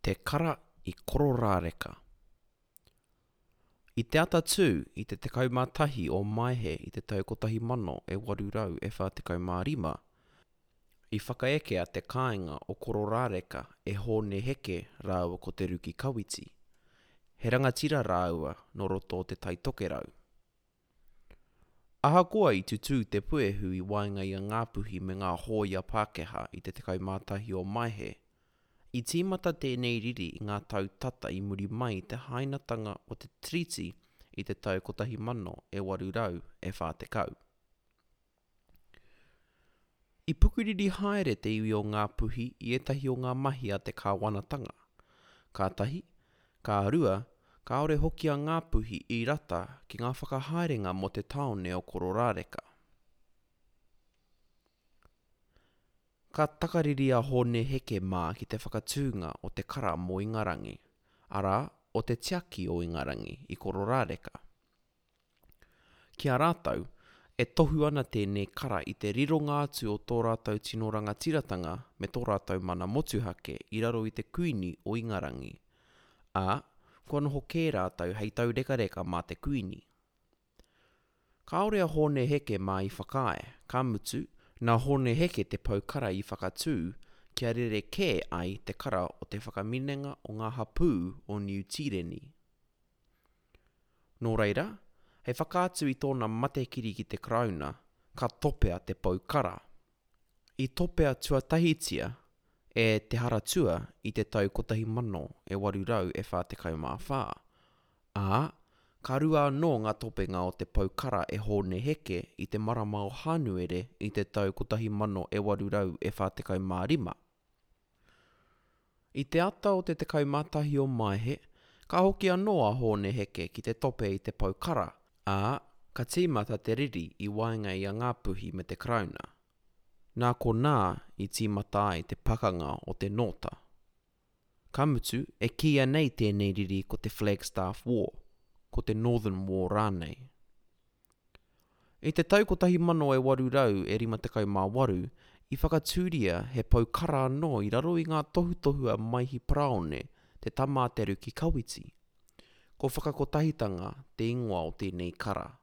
Te Kara i Kororāreka. I te atatū i te 11 o Maehe i te tau 1845, i whakaekea te kāinga o Kororāreka e Hōne Heke rāua ko Te Ruki Kawiti. He rangatira rāua nō roto o Te Tai Tokerau. Ahakoa i tutū te puehu i waenga i a Ngāpuhi me ngā hōia Pākehā i te 11 o Maehe, i tīmata tēnei riri i ngā tau tata i muri mai i te hainatanga o te Tiriti i te tau 1840. I pukuriri haere te iwi o Ngāpuhi i ētahi o ngā mahi a te kāwanatanga. Ka tahi, ka rua, kāore hoki a Ngāpuhi i rata ki ngā whakahaerenga mō te tāone o Kororāreka. Ka takariri a Hōne Heke mā ki te whakatūnga o te kara mō Ingarangi, arā, o te Tiaki o Ingarangi i Kororāreka. Ki a rātou, e tohu ana tēnei kara i te rironga atu o tō rātou tino rangatiratanga me tō rātou mana motuhake i raro i te Kuini o Ingarangi, ā, kua noho kē rātou hei taurekareka mā te Kuini. Kāore a Hōne Heke mā i whakaae, ka mutu, nā Hōne Heke te pou kara i whakatū kia rerekē ai te kara o te whakaminenga o ngā hapū o Niu Tīreni. Nō reira, hei whakaatu i tōna matekiri ki te Karauna, ka topea te pou kara. I topea tuatahitia e Te Haratua i te tau 1844, ā, ka rua anō ngā topenga o te pou kara e Hōne Heke i te marama o Hānuere i te tau 1845. I te ata o te 11 o Maehe, ka hoki anō a Hōne Heke ki te tope i te pou kara, ā, ka tīmata te riri i waenga i a Ngāpuhi me te Karauna. Nā konā i tīmata ai te pakanga o te Nōta. Ka mutu, e kīia nei tēnei riri ko te Flagstaff War, ko te Northern War rānei. I te tau 1858, i whakatūria he pou kara anō i raro i ngā tohutohu a Maihi Paraone, te tama a Te Ruki Kawiti. Ko Whakakotahitanga te ingoa o tēnei kara.